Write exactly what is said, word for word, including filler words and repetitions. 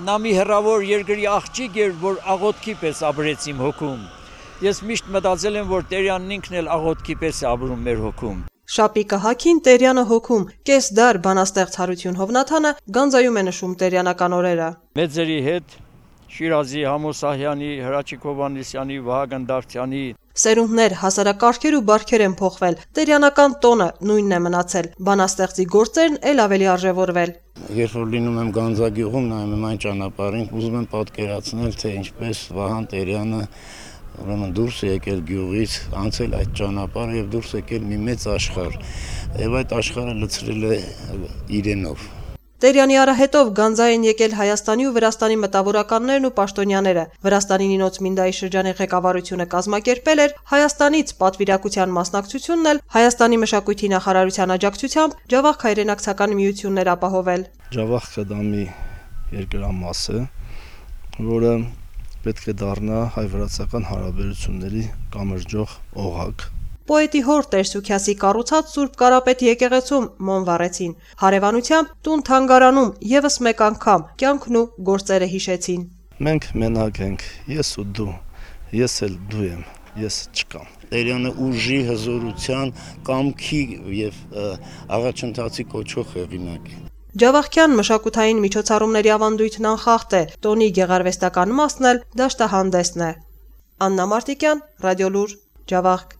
նա մի հեռավոր երկրի աղջիկ էր, որ աղոթքի պես ապրեց իմ հոգում։ Ես միշտ մտածել եմ, որ Տերյանն ինքն էլ աղոթքի պես է ապրում մեր հոգում։ Շապիկը հագին Տերյանը հոգում, կես դար բանաստեղծ Հարություն Հովնաթանը գանձայում է նշում տերյանական օրերը։ Մեծերի հետ Շիրազի Համոսահյանի, Հրաչիկ Հովհաննիսյանի, Վահագն Դավթյանի Սերունդներ, հասարակարգեր ու բարքեր են փոխվել, տերյանական տոնը նույնն է մնացել, բանաստեղծի գործերն էլ ավելի արժևորվել։ Երբ որ լինում եմ Գանձագյուղում, նայում եմ այն ճանապարհին, ուզում եմ պատկերացնել, թե ինչպես Վահան Տերյանը ուրեմն դուրս է եկել գյուղից, անցել այդ ճանապարհը եւ դուրս եկել մի մեծ աշխարհ, եւ այդ աշխարհը լցրել է իրենով։ Տերյանի արահետով գանձա են եկել Հայաստանի ու Վրաստանի մտավորականներն ու պաշտոնյաները։ Վրաստանի Նինոց Մինդայի շրջանի ղեկավարությունը կազմակերպել էր Հայաստանից պատվիրակության մասնակցությունն էլ Հայաստանի մշակույթի նախարարության աջակցությամբ Ջավախք հայրենակցական միություններ ապահովել։ Ջավախքը դա մի երկրամաս է, որը պետք է դառնա հայ-վրացական հարաբերությունների կամրջող օղակ։ Պոետի հոր Տեր-Սուքիասի կառուցած Սուրբ Կարապետ եկեղեցում մոմ վառեցին։ Հարևանությամբ տուն թանգարանում եւս մեկ անգամ կյանքն ու գործերը հիշեցին։ Մենք մենակ ենք, ես ու դու, ես էլ դու եմ, ես չկամ։ Տերյանը ուժի, հզորության, կամքի եւ առաջընթացի կոչող հեղինակ է։ Ջավախքյան մշակութային միջոցառումների ավանդույթն անխախտ է, տոնի գեղարվեստական մասն էլ դաշտահանդեսն է։ Աննա Մարտիկյան, Ռադիոլուր, Ջավախք։